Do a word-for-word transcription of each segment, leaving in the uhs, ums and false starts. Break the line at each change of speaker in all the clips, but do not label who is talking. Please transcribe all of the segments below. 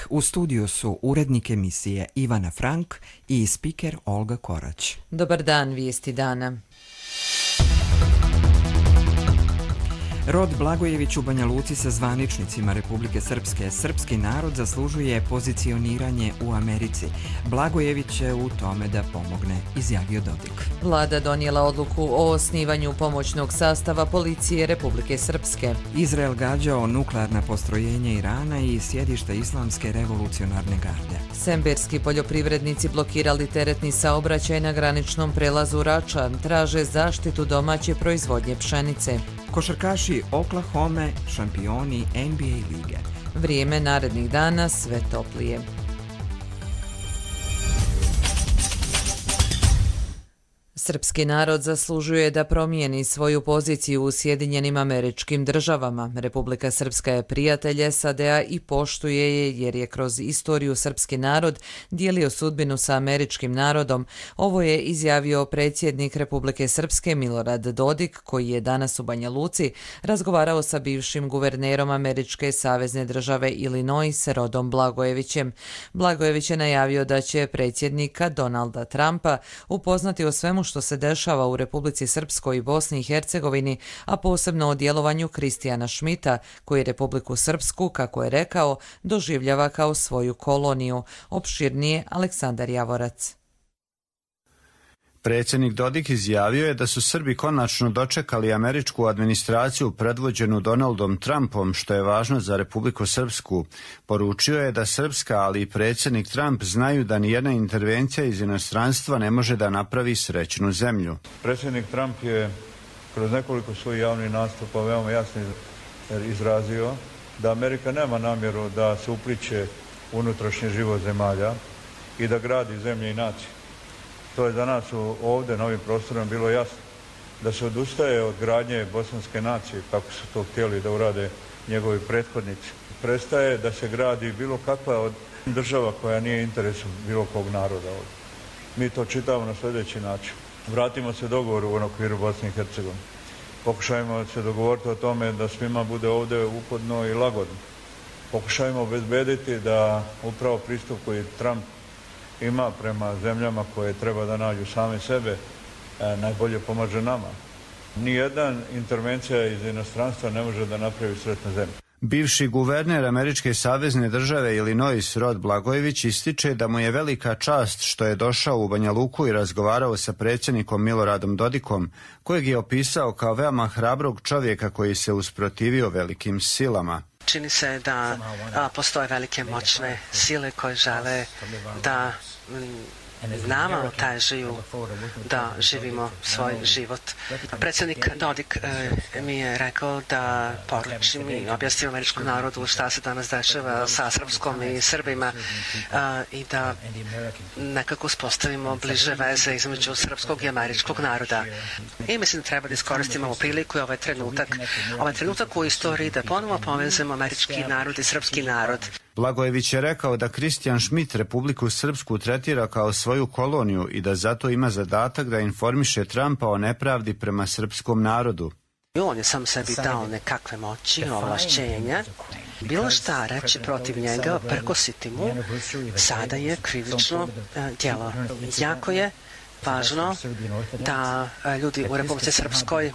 U studiju su urednik emisije Ivana Frank i spiker Olga Korać.
Dobar dan, vijesti dana.
Rod Blagojević u Banja Luci sa zvaničnicima Republike Srpske. Srpski narod zaslužuje pozicioniranje u Americi. Blagojević će u tome da pomogne, izjavio Dodik.
Vlada donijela odluku o osnivanju pomoćnog sastava policije Republike Srpske.
Izrael gađao nuklearna postrojenja Irana i sjedište Islamske revolucionarne garde.
Semberski poljoprivrednici blokirali teretni saobraćaj na graničnom prelazu Rača. Traže zaštitu domaće proizvodnje pšenice.
Košarkaši Oklahome, šampioni N B A lige.
Vrijeme narednih dana sve toplije. Srpski narod zaslužuje da promijeni svoju poziciju u Sjedinjenim Američkim Državama. Republika Srpska je prijatelj S A D A i poštuje je jer je kroz istoriju srpski narod dijelio sudbinu sa američkim narodom. Ovo je izjavio predsjednik Republike Srpske Milorad Dodik, koji je danas u Banja Luci razgovarao sa bivšim guvernerom Američke savezne države Illinois Rodom Blagojevićem. Blagojević je najavio da će predsjednika Donalda Trumpa upoznati o svemu što se dešava u Republici Srpskoj i Bosni i Hercegovini, a posebno o djelovanju Kristijana Šmita, koji Republiku Srpsku, kako je rekao, doživljava kao svoju koloniju. Opširnije Aleksandar Javorac.
Predsjednik Dodik izjavio je da su Srbi konačno dočekali američku administraciju predvođenu Donaldom Trumpom, što je važno za Republiku Srpsku. Poručio je da Srpska, ali i predsjednik Trump znaju da nijedna intervencija iz inostranstva ne može da napravi srećnu zemlju.
Predsjednik Trump je kroz nekoliko svojih javnih nastupa veoma jasno izrazio da Amerika nema namjeru da se upliće u unutrašnji život zemalja i da gradi zemlje i nacije. To je za nas ovdje na ovim prostorima bilo jasno, da se odustaje od gradnje bosanske nacije, kako su to htjeli da urade njegovi prethodnici. Prestaje da se gradi bilo kakva od država koja nije interesu bilo kog naroda ovdje. Mi to čitamo na sljedeći način. Vratimo se dogovoru u okviru Bosne i Hercegovine. Pokušajmo se dogovoriti o tome da svima bude ovdje ugodno i lagodno. Pokušajmo obezbediti da upravo pristup koji Trump ima prema zemljama koje treba da nađu same sebe, e, najbolje pomaže nama. Nijedna intervencija iz inostranstva ne može da napravi sretnu zemlju.
Bivši guverner Američke savezne države Illinois Rod Blagojević ističe da mu je velika čast što je došao u Banja Luku i razgovarao sa predsjednikom Miloradom Dodikom, kojeg je opisao kao veoma hrabrog čovjeka koji se usprotivio velikim silama.
Čini se da a, postoje velike moćne sile koje žele da m, nama otežaju da živimo svoj život. Predsjednik Dodik e, mi je rekao da poručim i objasnim američkom narodu šta se danas dešava sa Srpskom i Srbima e, i da nekako uspostavimo bliže veze između srpskog i američkog naroda. I mislim da treba da iskoristimo ovu priliku i ovaj trenutak, ovaj trenutak u istoriji da ponovo povezemo američki narod i srpski narod.
Blagojević je rekao da Kristijan Šmit Republiku Srpsku tretira kao svoju koloniju i da zato ima zadatak da informiše Trumpa o nepravdi prema srpskom narodu.
On je sam sebi dao nekakve moći, ovlašćenja. Bilo šta reći protiv njega, prkositi mu, sada je krivično djelo. Jako je važno da ljudi u Republici Srpskoj e,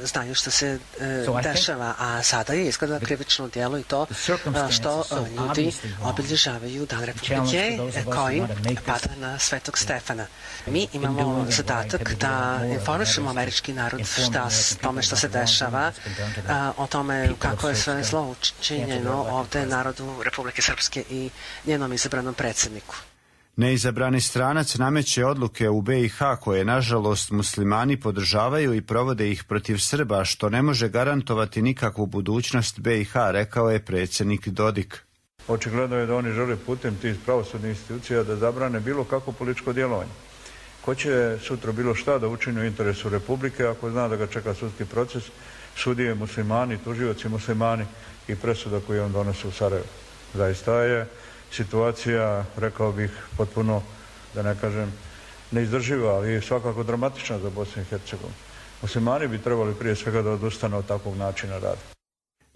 znaju što se e, dešava, a sada je izgleda krivično djelo i to e, što e, ljudi obilježavaju Dan Republike e, koji pada na Svetog Stefana. Mi imamo zadatak da informišemo američki narod šta s tome što se dešava, a, o tome kako je sve zlo učinjeno ovdje narodu Republike Srpske i njenom izabranom predsjedniku.
Neizabrani stranac nameće odluke u B i H koje, nažalost, muslimani podržavaju i provode ih protiv Srba, što ne može garantovati nikakvu budućnost B i H, rekao je predsjednik Dodik.
Očigledno je da oni žele putem tih pravosudnih institucija da zabrane bilo kako političko djelovanje. Ko će sutra bilo šta da učini u interesu Republike ako zna da ga čeka sudski proces, sudije muslimani, tužioci muslimani i presuda koju on donosi u Sarajevo. Zaista je situacija, rekao bih, potpuno, da ne kažem, neizdrživa, ali svakako dramatična za Bosnu i Hercegovinu. Muslimani bi trebali prije svega da odustanu od takvog načina rada.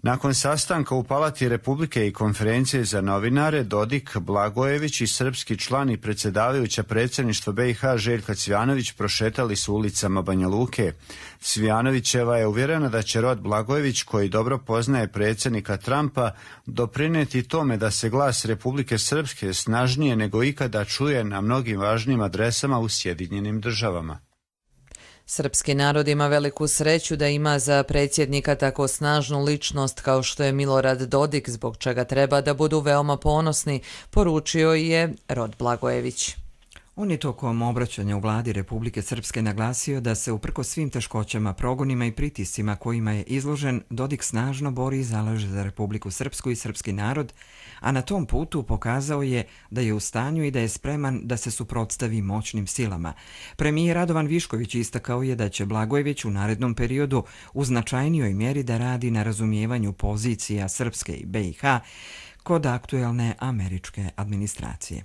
Nakon sastanka u Palati Republike i konferencije za novinare, Dodik, Blagojević i srpski član i predsjedavajuća predsjedništva B i H Željka Cvijanović prošetali su ulicama Banja Luke. Cvijanovićeva je uvjerena da će Rod Blagojević, koji dobro poznaje predsjednika Trumpa, doprinijeti tome da se glas Republike Srpske snažnije nego ikada čuje na mnogim važnim adresama u Sjedinjenim Državama.
Srpski narod ima veliku sreću da ima za predsjednika tako snažnu ličnost kao što je Milorad Dodik, zbog čega treba da budu veoma ponosni, poručio je Rod Blagojević.
On je tokom obraćanja u vladi Republike Srpske naglasio da se uprkos svim teškoćama, progonima i pritiscima kojima je izložen, Dodik snažno bori i zalaže za Republiku Srpsku i srpski narod, a na tom putu pokazao je da je u stanju i da je spreman da se suprotstavi moćnim silama. Premijer Radovan Višković istakao je da će Blagojević u narednom periodu u značajnijoj mjeri da radi na razumijevanju pozicija Srpske i B i H kod aktuelne američke administracije.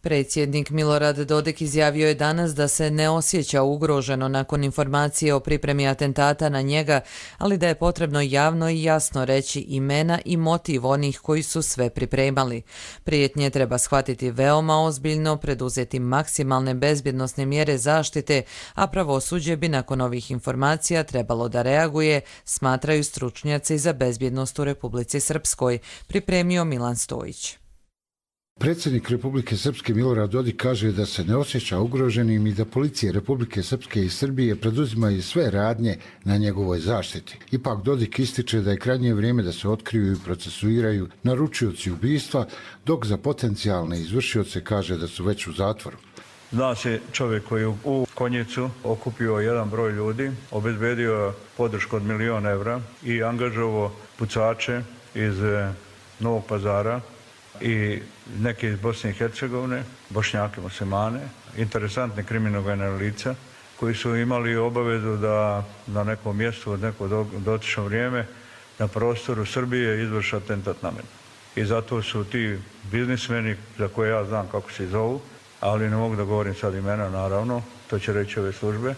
Predsjednik Milorad Dodik izjavio je danas da se ne osjeća ugroženo nakon informacije o pripremi atentata na njega, ali da je potrebno javno i jasno reći imena i motiv onih koji su sve pripremali. Prijetnje treba shvatiti veoma ozbiljno, preduzeti maksimalne bezbjednosne mjere zaštite, a pravosuđe bi nakon ovih informacija trebalo da reaguje, smatraju stručnjaci za bezbjednost u Republici Srpskoj, pripremio Milan Stojić.
Predsjednik Republike Srpske Milorad Dodik kaže da se ne osjeća ugroženim i da policije Republike Srpske i Srbije preduzimaju sve radnje na njegovoj zaštiti. Ipak Dodik ističe da je krajnje vrijeme da se otkriju i procesuiraju naručioci ubistva, dok za potencijalne izvršioce kaže da su već u zatvoru.
Zna se čovjek koji je u Konjicu okupio jedan broj ljudi, obezbedio podršku od milion evra i angažovao pucače iz Novog Pazara i neke iz Bosne i Hercegovine, Bošnjake, muslimane, interesantne kriminogene lica koji su imali obavezu da na nekom mjestu od neko dotično vrijeme na prostoru Srbije izvrše atentat na mene. I zato su ti biznismeni, za koje ja znam kako se zovu, ali ne mogu da govorim sad imena, naravno, to će reći ove službe,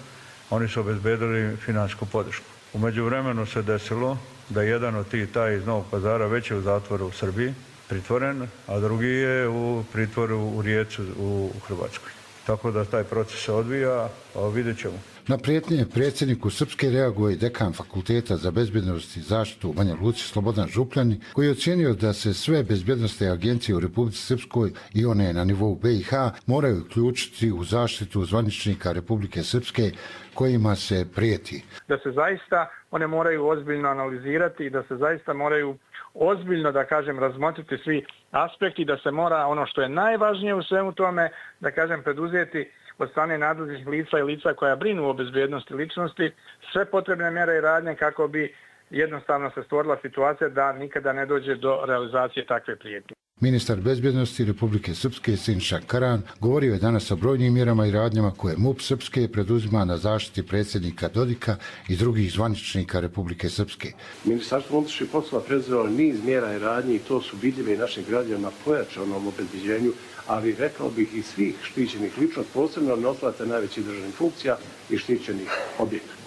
oni su obezbedili financijsku podršku. U međuvremenu se desilo da jedan od tih taj iz Novog Pazara već je u zatvoru u Srbiji, pritvoren, a drugi je u pritvoru u Rijeci u Hrvatskoj. Tako da taj proces se odvija, a vidjet ćemo.
Na prijetnje predsjedniku Srpske reaguje i dekan Fakulteta za bezbjednost i zaštitu u Banja Luci Slobodan Župljani, koji je ocijenio da se sve bezbjednostne agencije u Republici Srpskoj i one na nivou B i H moraju uključiti u zaštitu zvaničnika Republike Srpske kojima se prijeti.
Da se zaista one moraju ozbiljno analizirati i da se zaista moraju ozbiljno, da kažem, razmotriti svi aspekti, da se mora ono što je najvažnije u svemu tome, da kažem, preduzeti od strane nadležnih lica i lica koja brinu o bezbjednosti ličnosti sve potrebne mjere i radnje kako bi jednostavno se stvorila situacija da nikada ne dođe do realizacije takve prijetnje.
Ministar bezbjednosti Republike Srpske Sinša Karan govorio je danas o brojnim mjerama i radnjama koje MUP Srpske preduzima na zaštiti predsjednika Dodika i drugih zvaničnika Republike Srpske.
Ministarstvo unutrašnjih poslova preduzelo niz mjera i radnji i to su vidljive i našim građanima pojačanom obezbeđenju, ali rekao bih i svih štićenih ličnosti, posebno nosilaca najvećih državnih funkcija i štićenih objekata.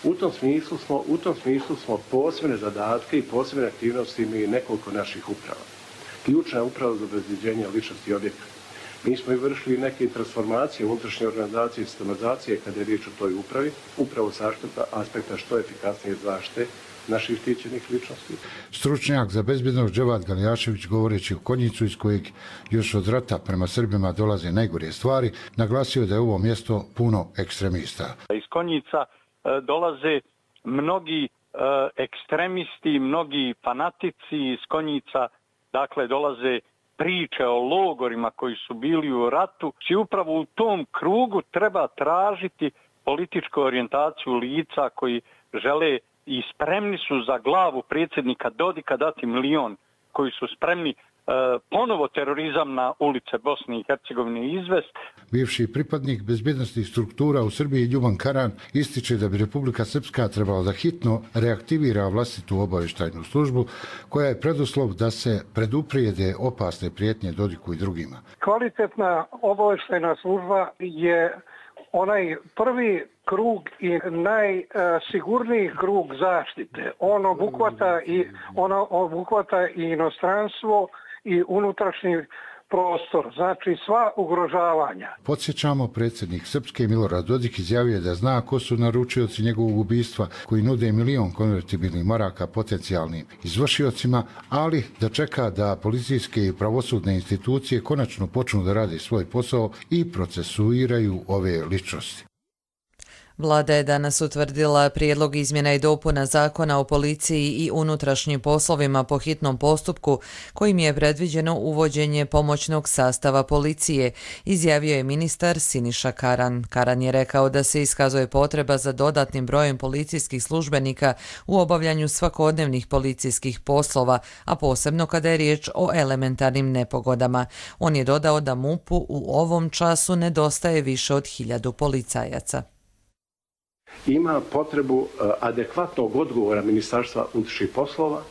U tom smislu smo, u tom smislu smo posebne zadatke i posebne aktivnosti imali nekoliko naših uprava. Ključna je uprava za obezbeđenje ličnosti objekata. Mi smo i vršili neke transformacije u unutrašnje organizacije i sistematizacije kada je riječ o toj upravi, upravo sa aspekta što efikasnije zaštite naših štićenih ličnosti.
Stručnjak za bezbjednost Dževad Galijašević, govoreći o Konjicu iz kojeg još od rata prema Srbima dolaze najgore stvari, naglasio da je ovo mjesto puno ekstremista.
Iz Konjica dolaze mnogi ekstremisti, mnogi fanatici iz Konjica. Dakle, dolaze priče o logorima koji su bili u ratu. I upravo u tom krugu treba tražiti političku orijentaciju lica koji žele i spremni su za glavu predsjednika Dodika dati milion, koji su spremni e, ponovo terorizam na ulice Bosne i Hercegovine izvest.
Bivši pripadnik bezbjednostnih struktura u Srbiji Ljuban Karan ističe da bi Republika Srpska trebala da hitno reaktivira vlastitu obavještajnu službu koja je preduslov da se preduprijede opasne prijetnje Dodiku i drugima.
Kvalitetna obavještajna služba je onaj prvi krug i najsigurniji krug zaštite. On obuhvata i, ono obuhvata i inostranstvo i unutrašnji prostor, znači sva ugrožavanja.
Podsjećamo, predsjednik Srpske Milorad Dodik izjavio da zna ko su naručioci njegovog ubistva koji nude milion konvertibilnih maraka potencijalnim izvršiocima, ali da čeka da policijske i pravosudne institucije konačno počnu da rade svoj posao i procesuiraju ove ličnosti.
Vlada je danas utvrdila prijedlog izmjena i dopuna Zakona o policiji i unutrašnjim poslovima po hitnom postupku kojim je predviđeno uvođenje pomoćnog sastava policije, izjavio je ministar Siniša Karan. Karan je rekao da se iskazuje potreba za dodatnim brojem policijskih službenika u obavljanju svakodnevnih policijskih poslova, a posebno kada je riječ o elementarnim nepogodama. On je dodao da MUP-u u ovom času nedostaje više od hiljadu policajaca.
Ima potrebu adekvatnog odgovora Ministarstva unutrašnjih poslova,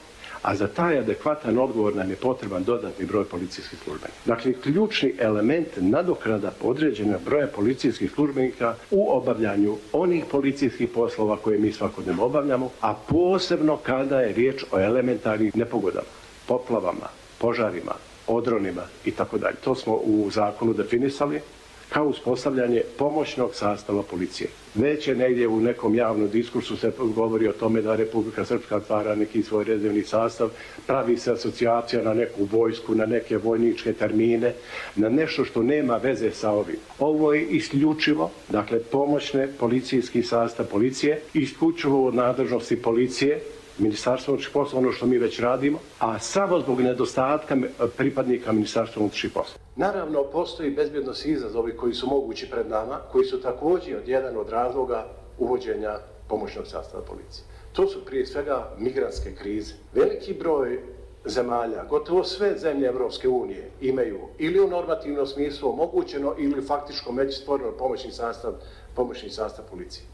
a za taj adekvatan odgovor nam je potreban dodatni broj policijskih službenika. Dakle, ključni element nadoknada određenog broja policijskih službenika u obavljanju onih policijskih poslova koje mi svakodnevno obavljamo, a posebno kada je riječ o elementarnim nepogodama, poplavama, požarima, odronima i tako dalje. To smo u zakonu definisali kao uspostavljanje pomoćnog sastava policije. Već je negdje u nekom javnom diskursu se govori o tome da Republika Srpska otvara neki svoj rezervni sastav, pravi se asocijacija na neku vojsku, na neke vojničke termine, na nešto što nema veze sa ovim. Ovo je isključivo, dakle, pomoćne policijski sastav policije, isključivo od nadležnosti policije, Ministarstvo unutrašnjih poslova, ono što mi već radimo, a samo zbog nedostatka pripadnika Ministarstva unutrašnjih poslova. Naravno, postoji bezbjednosni izazovi koji su mogući pred nama, koji su također jedan od razloga uvođenja pomoćnog sastava policije. To su prije svega migrantske krize. Veliki broj zemalja, gotovo sve zemlje Evropske unije imaju ili u normativnom smislu omogućeno ili faktičko međustvoreno pomoćni sastav, pomoćni sastav policije.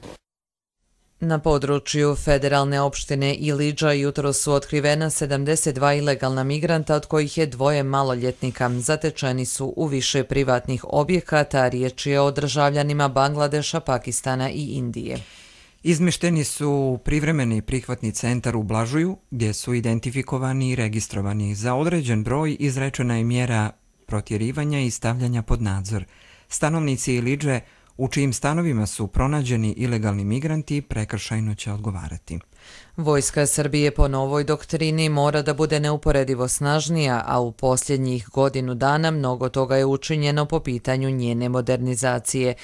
Na području federalne opštine Ilidža jutro su otkrivena sedamdeset dva ilegalna migranta, od kojih je dvoje maloljetnika. Zatečeni su u više privatnih objekata, riječ je o državljanima Bangladeša, Pakistana i Indije.
Izmešteni su u privremeni prihvatni centar u Blažuju, gdje su identifikovani i registrovani. Za određen broj izrečena je mjera protjerivanja i stavljanja pod nadzor. Stanovnici Ilidže u čijim stanovima su pronađeni ilegalni migranti prekršajno će odgovarati.
Vojska Srbije po novoj doktrini mora da bude neuporedivo snažnija, a u posljednjih godinu dana mnogo toga je učinjeno po pitanju njene modernizacije.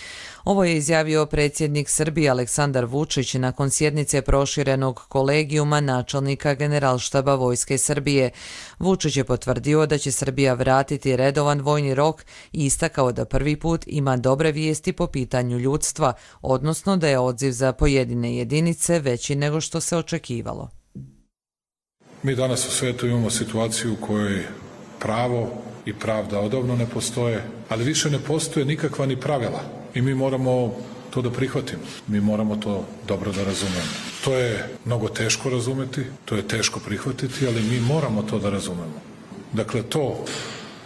Ovo je izjavio predsjednik Srbije Aleksandar Vučić nakon sjednice proširenog kolegijuma načelnika Generalštaba Vojske Srbije. Vučić je potvrdio da će Srbija vratiti redovan vojni rok i istakao da prvi put ima dobre vijesti po pitanju ljudstva, odnosno da je odziv za pojedine jedinice veći nego što se očekivalo.
Mi danas u svijetu imamo situaciju u kojoj pravo i pravda odavno ne postoje, ali više ne postoje nikakva ni pravila i mi moramo to da prihvatimo. Mi moramo to dobro da razumemo. To je mnogo teško razumeti, to je teško prihvatiti, ali mi moramo to da razumemo. Dakle, to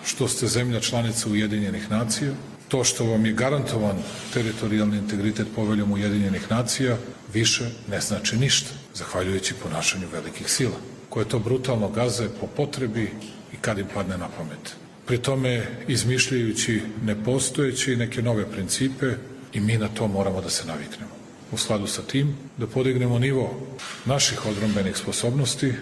što ste zemlja članica Ujedinjenih nacija, to što vam je garantovan teritorijalni integritet poveljom Ujedinjenih nacija, više ne znači ništa, zahvaljujući ponašanju velikih sila, koje to brutalno gaze po potrebi i kad im padne na pamet. Pri tome izmišljajući nepostojeće i neke nove principe i mi na to moramo da se naviknemo. U skladu sa tim da podignemo nivo naših odbrambenih sposobnosti.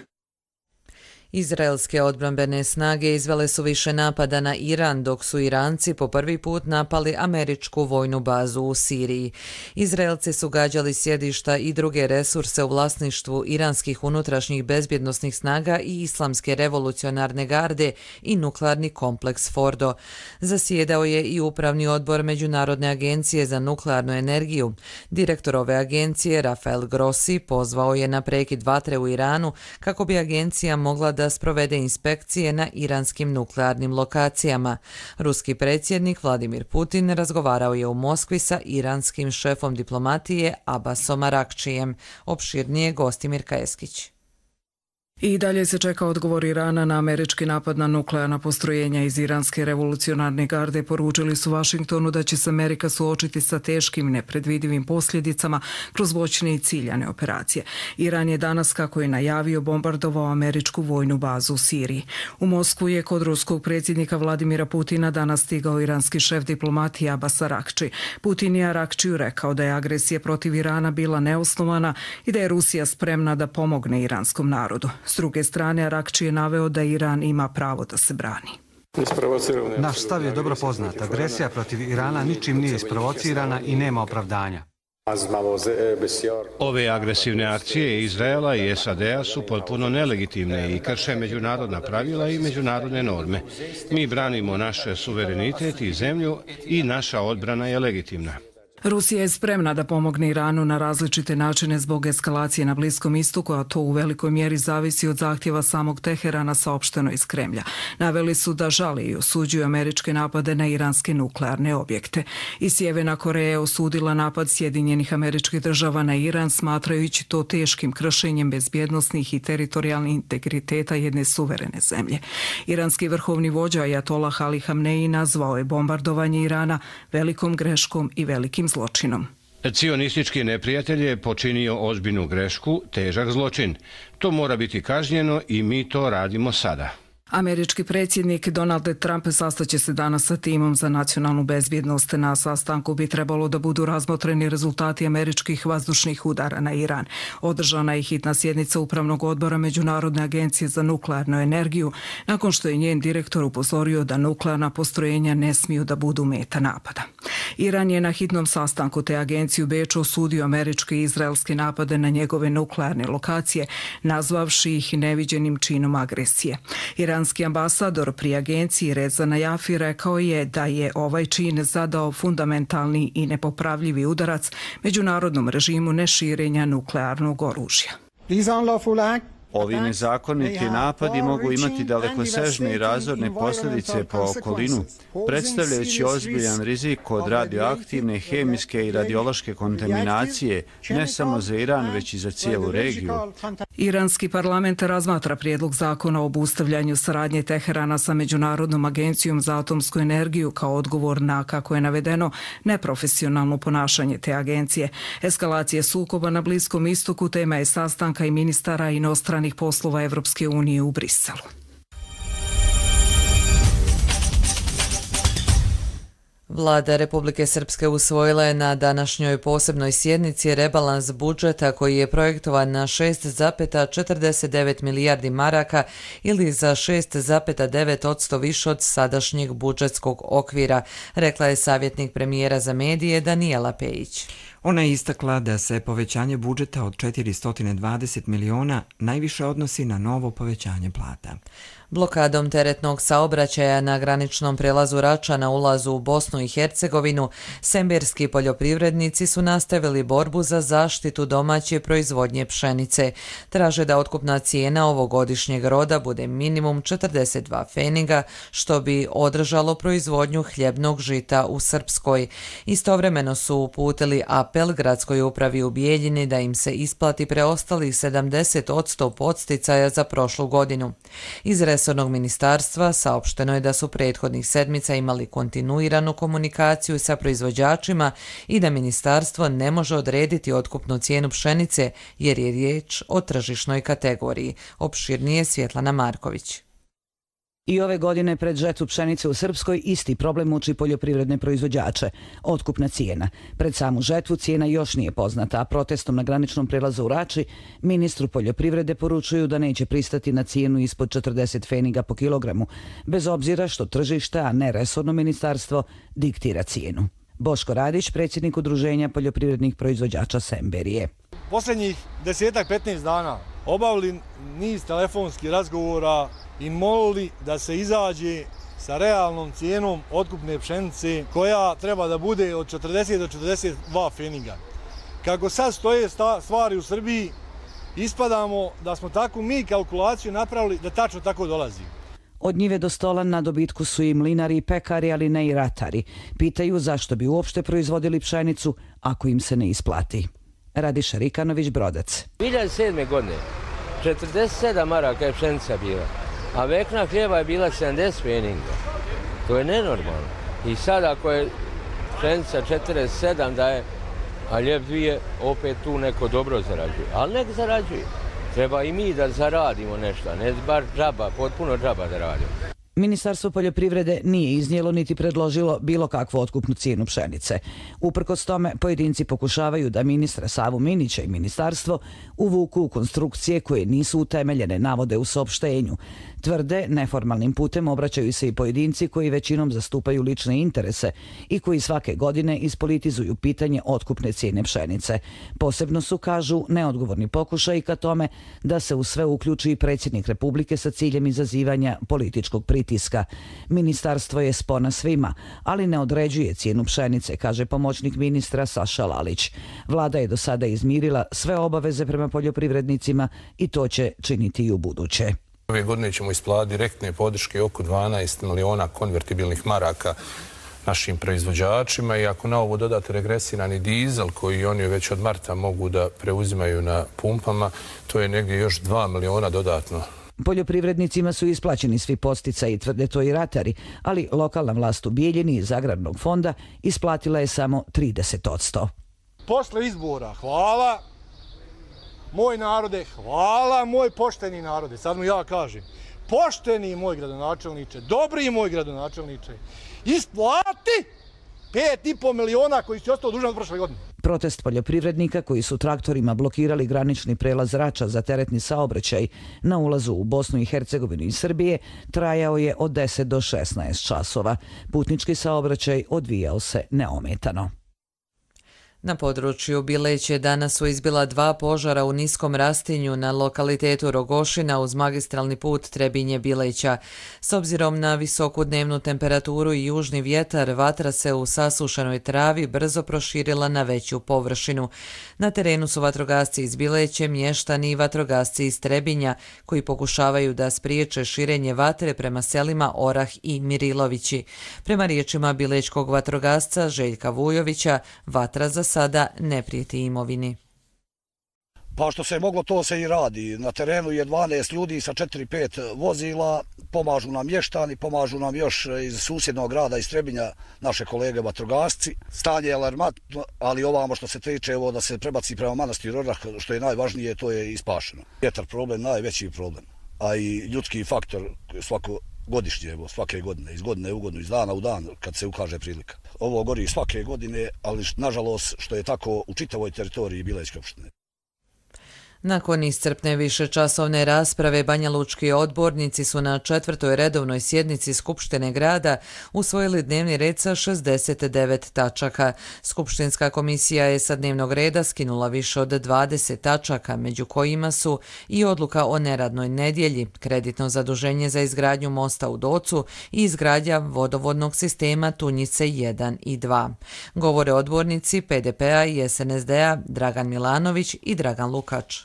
Izraelske odbrambene snage izvele su više napada na Iran, dok su Iranci po prvi put napali američku vojnu bazu u Siriji. Izraelci su gađali sjedišta i druge resurse u vlasništvu iranskih unutrašnjih bezbjednosnih snaga i Islamske revolucionarne garde i nuklearni kompleks Fordo. Zasjedao je i upravni odbor Međunarodne agencije za nuklearnu energiju. Direktor ove agencije, Rafael Grossi, pozvao je na prekid vatre u Iranu kako bi agencija mogla da sprovede inspekcije na iranskim nuklearnim lokacijama. Ruski predsjednik Vladimir Putin razgovarao je u Moskvi sa iranskim šefom diplomatije Abbasom Arakčijem. Opširnije Gostimir Kajeskić.
I dalje se čeka odgovor Irana na američki napad na nuklearna postrojenja. Iz Iranske revolucionarne garde poručili su Vašingtonu da će se Amerika suočiti sa teškim i nepredvidivim posljedicama kroz moćne i ciljane operacije. Iran je danas, kako je najavio, bombardovao američku vojnu bazu u Siriji. U Moskvu je kod ruskog predsjednika Vladimira Putina danas stigao iranski šef diplomatije Abbas Arakči. Putin je Arakčiju rekao da je agresija protiv Irana bila neosnovana i da je Rusija spremna da pomogne iranskom narodu. S druge strane, Arakči je naveo da Iran ima pravo da se brani.
Naš stav je dobro poznat. Agresija protiv Irana ničim nije isprovocirana i nema opravdanja.
Ove agresivne akcije Izraela i S A D-a su potpuno nelegitimne i krše međunarodna pravila i međunarodne norme. Mi branimo naš suverenitet i zemlju i naša odbrana je legitimna.
Rusija je spremna da pomogne Iranu na različite načine zbog eskalacije na Bliskom istoku, a to u velikoj mjeri zavisi od zahtjeva samog Teherana, saopšteno iz Kremlja. Naveli su da žali i osuđuju američke napade na iranske nuklearne objekte. I Sjeverna Koreja je osudila napad Sjedinjenih Američkih Država na Iran, smatrajući to teškim kršenjem bezbjednosnih i teritorijalnih integriteta jedne suverene zemlje. Iranski vrhovni vođa Ajatolah Ali Hamneji nazvao je bombardovanje Irana velikom greškom i velikim zločinom.
Cionistički neprijatelj je počinio ozbiljnu grešku, težak zločin. To mora biti kažnjeno i mi to radimo sada.
Američki predsjednik Donald Trump sastaće se danas sa timom za nacionalnu bezbjednost. Na sastanku bi trebalo da budu razmotreni rezultati američkih vazdušnih udara na Iran. Održana je hitna sjednica Upravnog odbora Međunarodne agencije za nuklearnu energiju, nakon što je njen direktor upozorio da nuklearna postrojenja ne smiju da budu meta napada. Iran je na hitnom sastanku te agencije u Beču osudio američke i izraelske napade na njegove nuklearne lokacije, nazvavši ih neviđenim činom agresije. Iran Iranski ambasador pri agenciji Reza Najafi rekao je da je ovaj čin zadao fundamentalni i nepopravljivi udarac međunarodnom režimu neširenja nuklearnog oružja.
Ovi nezakoniti napadi mogu imati dalekosežne i razorne posljedice po okolinu, predstavljajući ozbiljan rizik od radioaktivne, hemijske i radiološke kontaminacije, ne samo za Iran, već i za cijelu regiju.
Iranski parlament razmatra prijedlog zakona o obustavljanju saradnje Teherana sa Međunarodnom agencijom za atomsku energiju kao odgovor na, kako je navedeno, neprofesionalno ponašanje te agencije. Eskalacije sukoba na Bliskom istoku tema je sastanka i ministara inostranih poslova Evropske unije u Briselu.
Vlada Republike Srpske usvojila je na današnjoj posebnoj sjednici rebalans budžeta koji je projektovan na šest zarez četrdeset devet milijardi maraka ili za šest zarez devet posto više od sadašnjeg budžetskog okvira, rekla je savjetnik premijera za medije Danijela Pejić.
Ona je istakla da se povećanje budžeta od četiristo dvadeset miliona najviše odnosi na novo povećanje plata.
Blokadom teretnog saobraćaja na graničnom prelazu Rača na ulazu u Bosnu i Hercegovinu, semberski poljoprivrednici su nastavili borbu za zaštitu domaće proizvodnje pšenice. Traže da otkupna cijena ovogodišnjeg roda bude minimum četrdeset dva pfeniga, što bi održalo proizvodnju hljebnog žita u Srpskoj. Istovremeno su uputili apel gradskoj upravi u Bijeljini da im se isplati preostalih sedamdeset posto podsticaja za prošlu godinu. Iz resornog ministarstva saopšteno je da su prethodnih sedmica imali kontinuiranu komunikaciju sa proizvođačima i da ministarstvo ne može odrediti otkupnu cijenu pšenice jer je riječ o tržišnoj kategoriji. Opširnije Svjetlana Marković.
I ove godine pred žetvu pšenice u Srpskoj isti problem muči poljoprivredne proizvođače. Otkupna cijena. Pred samu žetvu cijena još nije poznata, a protestom na graničnom prelazu u Rači ministru poljoprivrede poručuju da neće pristati na cijenu ispod četrdeset pfeniga po kilogramu, bez obzira što tržište, a ne resorno ministarstvo, diktira cijenu. Boško Radić, predsjednik Udruženja poljoprivrednih proizvođača Semberije.
Posljednjih desetak petnaest dana obavili niz telefonskih razgovora i molili da se izađe sa realnom cijenom otkupne pšenice koja treba da bude od četrdeset do četrdeset dva pfeniga. Kako sad stoje stvari u Srbiji, ispadamo da smo takvu mi kalkulaciju napravili da tačno tako dolazi.
Od njive do stola na dobitku su i mlinari i pekari, ali ne i ratari. Pitaju zašto bi uopšte proizvodili pšenicu ako im se ne isplati. Radiša Rikanović, Brodac.
dvije hiljade sedme. godine četrdeset sedam maraka je pšenica bila, a vekna hljeba je bila sedamdeset pfeninga. To je nenormalno. I sad ako je pšenica četrdeset sedam da je, a hljeb dvije, opet tu neko dobro zarađuje. Ali nek zarađuje. Treba i mi da zaradimo nešto, ne bar džaba, potpuno džaba da radimo.
Ministarstvo poljoprivrede nije iznijelo niti predložilo bilo kakvu otkupnu cijenu pšenice. Uprkos tome, pojedinci pokušavaju da ministra Savu Minića i ministarstvo uvuku u konstrukcije koje nisu utemeljene, navode u saopštenju. Tvrde, neformalnim putem obraćaju se i pojedinci koji većinom zastupaju lične interese i koji svake godine ispolitizuju pitanje otkupne cijene pšenice. Posebno su, kažu, neodgovorni pokušaj ka tome da se u sve uključi i predsjednik Republike sa ciljem izazivanja političkog pritiska. Ministarstvo je spona svima, ali ne određuje cijenu pšenice, kaže pomoćnik ministra Saša Lalić. Vlada je do sada izmirila sve obaveze prema poljoprivrednicima i to će činiti i u buduće.
Ove godine ćemo isplatiti direktne podrške oko dvanaest miliona konvertibilnih maraka našim proizvođačima i ako na ovo dodate regresirani dizel koji oni već od marta mogu da preuzimaju na pumpama, to je negdje još dva miliona dodatno.
Poljoprivrednicima su isplaćeni svi podsticaji, tvrde to i ratari, ali lokalna vlast u Bijeljini iz Agrarnog fonda isplatila je samo trideset posto.
Posle izbora, hvala, moj narode, hvala, moj pošteni narode, sad mu ja kažem, pošteni moj gradonačelniče, dobri moj gradonačelniče, isplati pet i po miliona koji su ostao dužan od prošle godine.
Protest poljoprivrednika koji su traktorima blokirali granični prelaz Rača za teretni saobraćaj na ulazu u Bosnu i Hercegovinu iz Srbije trajao je od deset do šesnaest časova. Putnički saobraćaj odvijao se neometano.
Na području Bileće danas su izbila dva požara u niskom rastinju na lokalitetu Rogošina uz magistralni put Trebinje-Bileća. S obzirom na visoku dnevnu temperaturu i južni vjetar, vatra se u sasušenoj travi brzo proširila na veću površinu. Na terenu su vatrogasci iz Bileće, mještani i vatrogasci iz Trebinja, koji pokušavaju da spriječe širenje vatre prema selima Orah i Mirilovići. Prema riječima bilečkog vatrogasca Željka Vujovića, vatra za sada ne prijeti imovini.
Pa što se moglo, to se i radi. Na terenu je dvanaest ljudi sa četiri pet vozila, pomažu nam mještani, pomažu nam još iz susjednog grada, iz Trebinja, naše kolege vatrogasci. Stanje je alarmantno, ali ovamo što se tiče evo, da se prebaci prema manastiru Orah, što je najvažnije, to je ispašeno. Vjetar problem, najveći problem, a i ljudski faktor svako godišnje, evo, svake godine, iz godine u godinu, iz dana u dan, kad se ukaže prilika. Ovo gori svake godine, ali nažalost što je tako u čitavoj teritoriji Bilećke opštine.
Nakon iscrpne višečasovne rasprave, banjalučki odbornici su na četvrtoj redovnoj sjednici Skupštine grada usvojili dnevni red sa šezdeset devet tačaka. Skupštinska komisija je sa dnevnog reda skinula više od dvadeset tačaka, među kojima su i odluka o neradnoj nedjelji, kreditno zaduženje za izgradnju mosta u Docu i izgradnja vodovodnog sistema Tunjice jedan i dva. Govore odbornici P D P-a i S N S D-a Dragan Milanović i Dragan Lukač.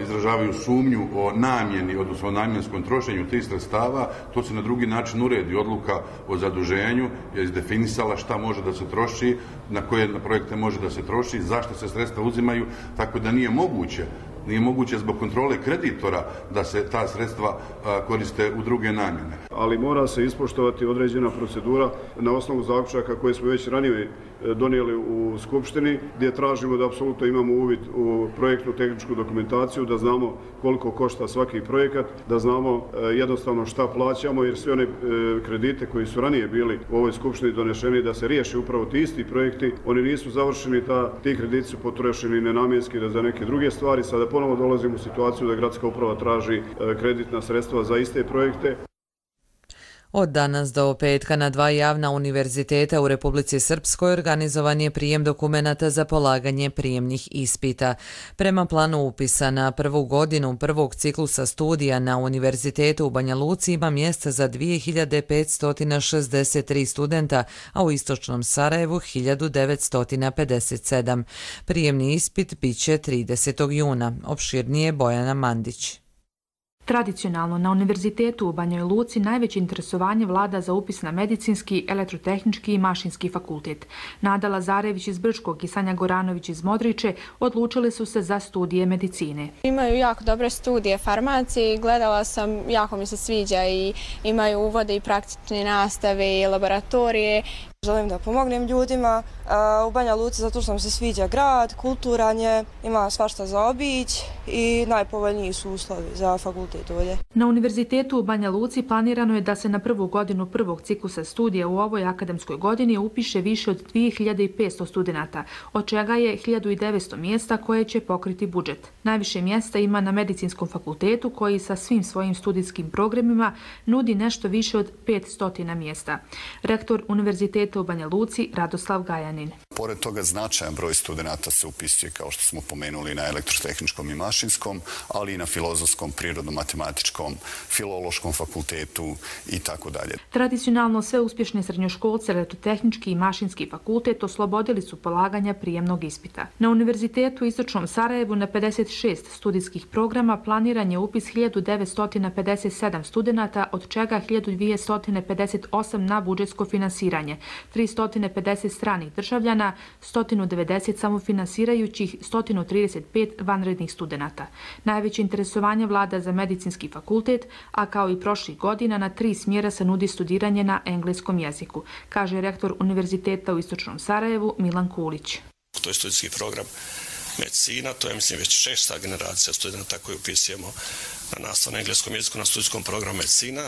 Izražavaju sumnju o namjeni, odnosno o namjenskom trošenju tih sredstava, to se na drugi način uredi. Odluka o zaduženju je izdefinisala šta može da se troši, na koje projekte može da se troši, zašto se sredstva uzimaju, tako da nije moguće Nije moguće zbog kontrole kreditora da se ta sredstva koriste u druge namjene.
Ali mora se ispoštovati određena procedura na osnovu zaključaka koje smo već ranije donijeli u Skupštini, gdje tražimo da apsolutno imamo uvid u projektnu tehničku dokumentaciju, da znamo koliko košta svaki projekat, da znamo jednostavno šta plaćamo, jer sve one kredite koji su ranije bili u ovoj Skupštini donešeni da se riješi upravo ti isti projekti, oni nisu završeni, ta, ti krediti su potrošeni nenamjenski da za neke druge stvari. Sada ponovo dolazimo u situaciju da gradska uprava traži kreditna sredstva za iste projekte.
Od danas do petka na dva javna univerziteta u Republici Srpskoj organizovan je prijem dokumenata za polaganje prijemnih ispita. Prema planu upisa na prvu godinu prvog ciklusa studija na Univerzitetu u Banja Luci ima mjesta za dvije hiljade petsto šezdeset tri studenta, a u Istočnom Sarajevu hiljadu devetsto pedeset sedam. Prijemni ispit bit će tridesetog juna. Opširnije Bojana Mandić.
Tradicionalno, na Univerzitetu u Banjoj Luci najveće interesovanje vlada za upis na medicinski, elektrotehnički i mašinski fakultet. Nada Lazarević iz Brčkog i Sanja Goranović iz Modriče odlučili su se za studije medicine.
Imaju jako dobre studije farmacije, gledala sam, jako mi se sviđa i imaju uvode i praktične nastave i laboratorije.
Želim da pomognem ljudima u Banja Luci zato što nam se sviđa grad, kulturan je, ima svašta za obić i najpovoljniji su uslovi za fakultet ovdje.
Na Univerzitetu u Banja Luci planirano je da se na prvu godinu prvog ciklusa studija u ovoj akademskoj godini upiše više od dvije hiljade petsto studenata, od čega je hiljadu devetsto mjesta koje će pokriti budžet. Najviše mjesta ima na Medicinskom fakultetu koji sa svim svojim studijskim programima nudi nešto više od petsto mjesta. Rektor Univerziteta u Banja Luci Radoslav Gajanin.
Pored toga značajan broj studenata se upisuje, kao što smo pomenuli, na elektrotehničkom i mašinskom, ali i na filozofskom, prirodno-matematičkom, filološkom fakultetu i tako dalje.
Tradicionalno sve uspješne srednjoškolce elektrotehnički i mašinski fakultet oslobodili su polaganja prijemnog ispita. Na Univerzitetu u Istočnom Sarajevu na pedeset šest studijskih programa planiran je upis hiljadu devetsto pedeset sedam studenata, od čega hiljadu dvjesto pedeset osam na budžetsko finansiranje, tristo pedeset stranih državljana, sto devedeset samofinansirajućih, sto trideset pet vanrednih studenata. Najveće interesovanje vlada za medicinski fakultet, a kao i prošlih godina na tri smjera se nudi studiranje na engleskom jeziku, kaže rektor Univerziteta u Istočnom Sarajevu Milan Kulić.
To je studijski program medicina, to je mislim već šesta generacija studenta koji upisujemo na nastavu na engleskom jeziku na studijskom programu medicina.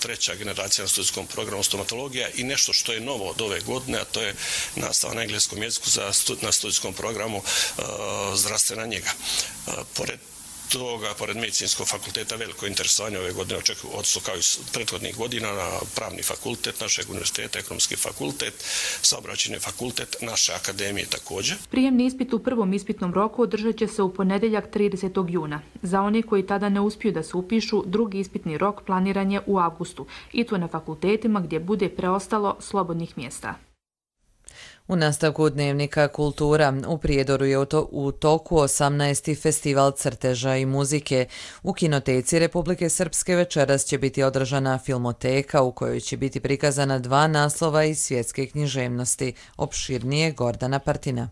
Treća generacija na studijskom programu stomatologija i nešto što je novo od ove godine, a to je nastava na engleskom jeziku za stud, na studijskom programu uh, zdravstvena njega. Uh, pored toga, pored medicinskog fakulteta, veliko interesovanje ove godine očekuju odnosno kao i prethodnih godina na pravni fakultet našeg univerziteta, ekonomski fakultet, saobraćajni fakultet naše akademije također.
Prijemni ispit u prvom ispitnom roku održat će se u ponedjeljak tridesetog juna. Za one koji tada ne uspiju da se upišu, drugi ispitni rok planiran je u avgustu i to na fakultetima gdje bude preostalo slobodnih mjesta.
U nastavku Dnevnika Kultura u Prijedoru je u toku osamnaesti festival crteža i muzike. U Kinoteci Republike Srpske večeras će biti održana filmoteka u kojoj će biti prikazana dva naslova iz svjetske književnosti. Opširnije Gordana Partina.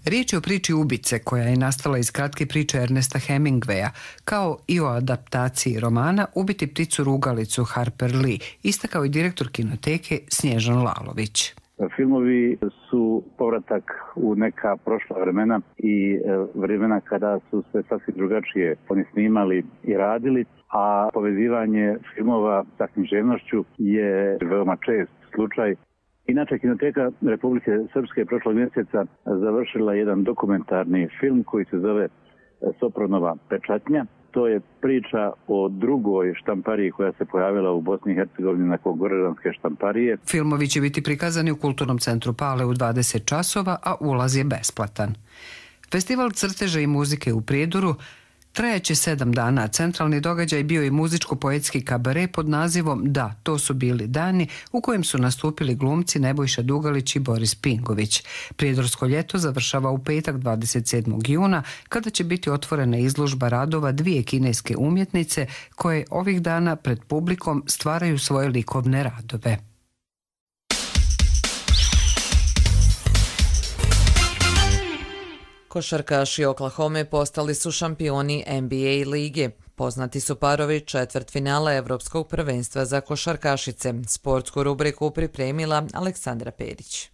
Riječ je o priči Ubice koja je nastala iz kratke priče Ernesta Hemingwaya, kao i o adaptaciji romana Ubiti pticu rugalicu Harper Lee, istakao i direktor Kinoteke Snježan Lalović.
Filmovi su povratak u neka prošla vremena i vremena kada su se sasvim drugačije oni snimali i radili, a povezivanje filmova sa književnošću je veoma čest slučaj. Inače, Kinoteka Republike Srpske prošlog mjeseca završila jedan dokumentarni film koji se zove Sopronova pečatnja. To je priča o drugoj štampariji koja se pojavila u Bosni i Hercegovini nakon Gorežanske štamparije.
Filmovi će biti prikazani u Kulturnom centru Pale u dvadeset časova, a ulaz je besplatan. Festival crteža i muzike u Prijedoru trajaće sedam dana. Centralni događaj bio je muzičko-poetski kabare pod nazivom Da, to su bili dani, u kojem su nastupili glumci Nebojša Dugalić i Boris Pingović. Prijedorsko ljeto završava u petak dvadeset sedmog juna, kada će biti otvorena izložba radova dvije kineske umjetnice koje ovih dana pred publikom stvaraju svoje likovne radove.
Košarkaši Oklahome postali su šampioni N B A lige. Poznati su parovi četvrtfinala Evropskog prvenstva za košarkašice. Sportsku rubriku pripremila Aleksandra Perić.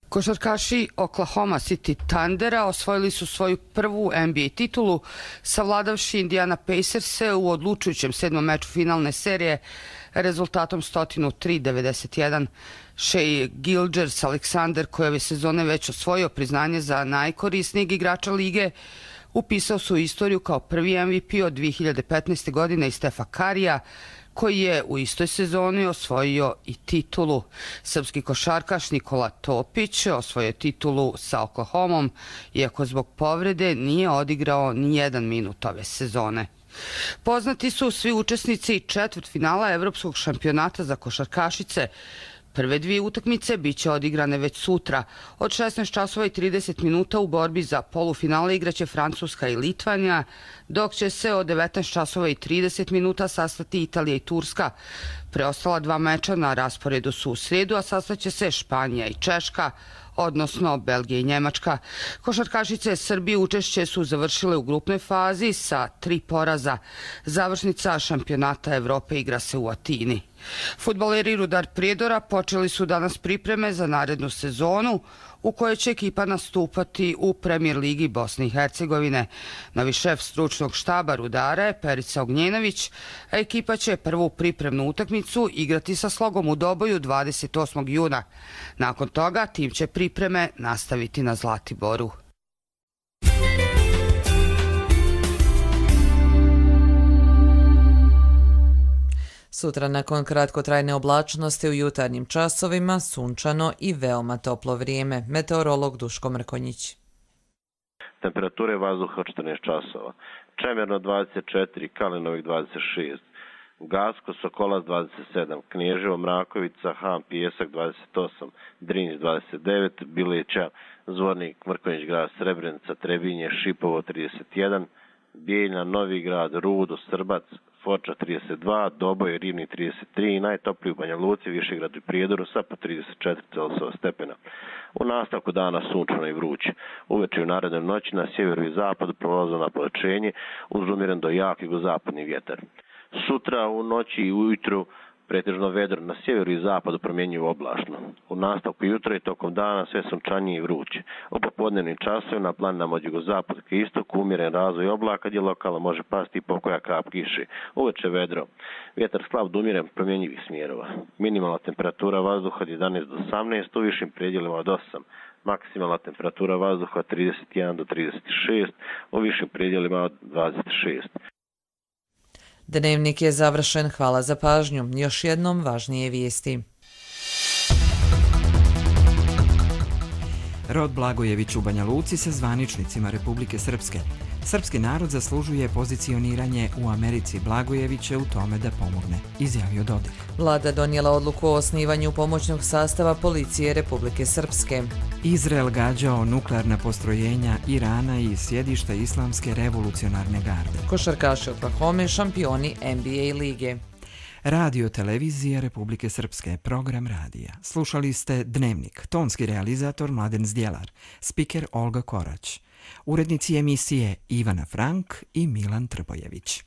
Košarkaši Oklahoma City Thundera osvojili su svoju prvu N B A titulu, savladavši Indiana Pacers-e u odlučujućem sedmom meču finalne serije rezultatom sto tri devedeset jedan. Shai Gilgeous-Alexander, koji ove sezone već osvojio priznanje za najkorisnijeg igrača lige, upisao su istoriju kao prvi M V P od dvije hiljade petnaeste. godine i Stefa Karija, koji je u istoj sezoni osvojio i titulu. Srpski košarkaš Nikola Topić osvojio titulu sa Oklahomom, iako zbog povrede nije odigrao ni jedan minut ove sezone. Poznati su svi učesnici četvrtfinala Evropskog šampionata za košarkašice, Prve dvije utakmice bit će odigrane već sutra. Od šesnaest časova i trideset minuta u borbi za polufinale igraće Francuska i Litvanija, dok će se od devetnaest časova i trideset minuta sastati Italija i Turska. Preostala dva meča na rasporedu su u srijedu, a sastaće se Španija i Češka, odnosno Belgija i Njemačka. Košarkašice Srbije učešće su završile u grupnoj fazi sa tri poraza. Završnica šampionata Evrope igra se u Atini. Fudbaleri Rudar Prijedora počeli su danas pripreme za narednu sezonu u kojoj će ekipa nastupati u Premijer ligi Bosne i Hercegovine. Novi šef stručnog štaba Rudara je Perica Ognjenović, a ekipa će prvu pripremnu utakmicu igrati sa Slogom u Doboju dvadeset osmog juna. Nakon toga tim će pripreme nastaviti na Zlatiboru.
Sutra nakon kratkotrajne oblačnosti u jutarnjim časovima sunčano i veoma toplo vrijeme. Meteorolog Duško Mrkonjić.
Temperature vazduha četrnaest časova. Čemerno dvadeset četiri, Kalinovik dvadeset šest, Gasko, Sokolac dvadeset sedam, Knježevo, Mrakovica, Ham, Pijesak dvadeset osam, Drinj dvadeset devet, Bileća, Zvornik, Mrkonjić grad, Srebrenica, Trebinje, Šipovo trideset jedan, Bijeljna, Novi grad, Rudo, Srbac, Foča trideset dva, Doboj, Rivni trideset tri i najtopliji u Banja Luci, Višegradu i Prijedoru sa po trideset četiri Celzijusova stepena. U nastavku dana sunčano i vruće. Uveče u narednoj noći na sjeveru i zapadu prolazno napolačenje uz umiren do jakog zapadni vjetar. Sutra u noći i ujutru pretežno vedro, na sjeveru i zapadu promjenjivo oblačno. U nastavku jutra i tokom dana sve sunčanije i vruće. U popodnevnim časovima na planinama od jugozapad ka istoku umjeren razvoj oblaka gdje lokalno može pasti i pokoja kap kiše. Uveče vedro. Vjetar slab do umjeren promjenjivih smjerova. Minimalna temperatura vazduha od jedanaest do osamnaest, u višim predjelima od osam. Maksimalna temperatura vazduha od trideset jedan do trideset šest, u višim predjelima od dvadeset šest.
Dnevnik je završen, hvala za pažnju. Još jednom važnije vijesti.
Rod Blagojević u Banja Luci sa zvaničnicima Republike Srpske. Srpski narod zaslužuje pozicioniranje u Americi. Blagojević je u tome da pomogne, izjavio Dodik.
Vlada donijela odluku o osnivanju pomoćnog sastava policije Republike Srpske.
Izrael gađao nuklearna postrojenja Irana i sjedišta Islamske revolucionarne garde.
Košarkaši Oklahome šampioni N B A lige.
Radio televizija Republike Srpske, program radija. Slušali ste Dnevnik, tonski realizator Mladen Zdjelar, spiker Olga Korać, urednici emisije Ivana Frank i Milan Trbojević.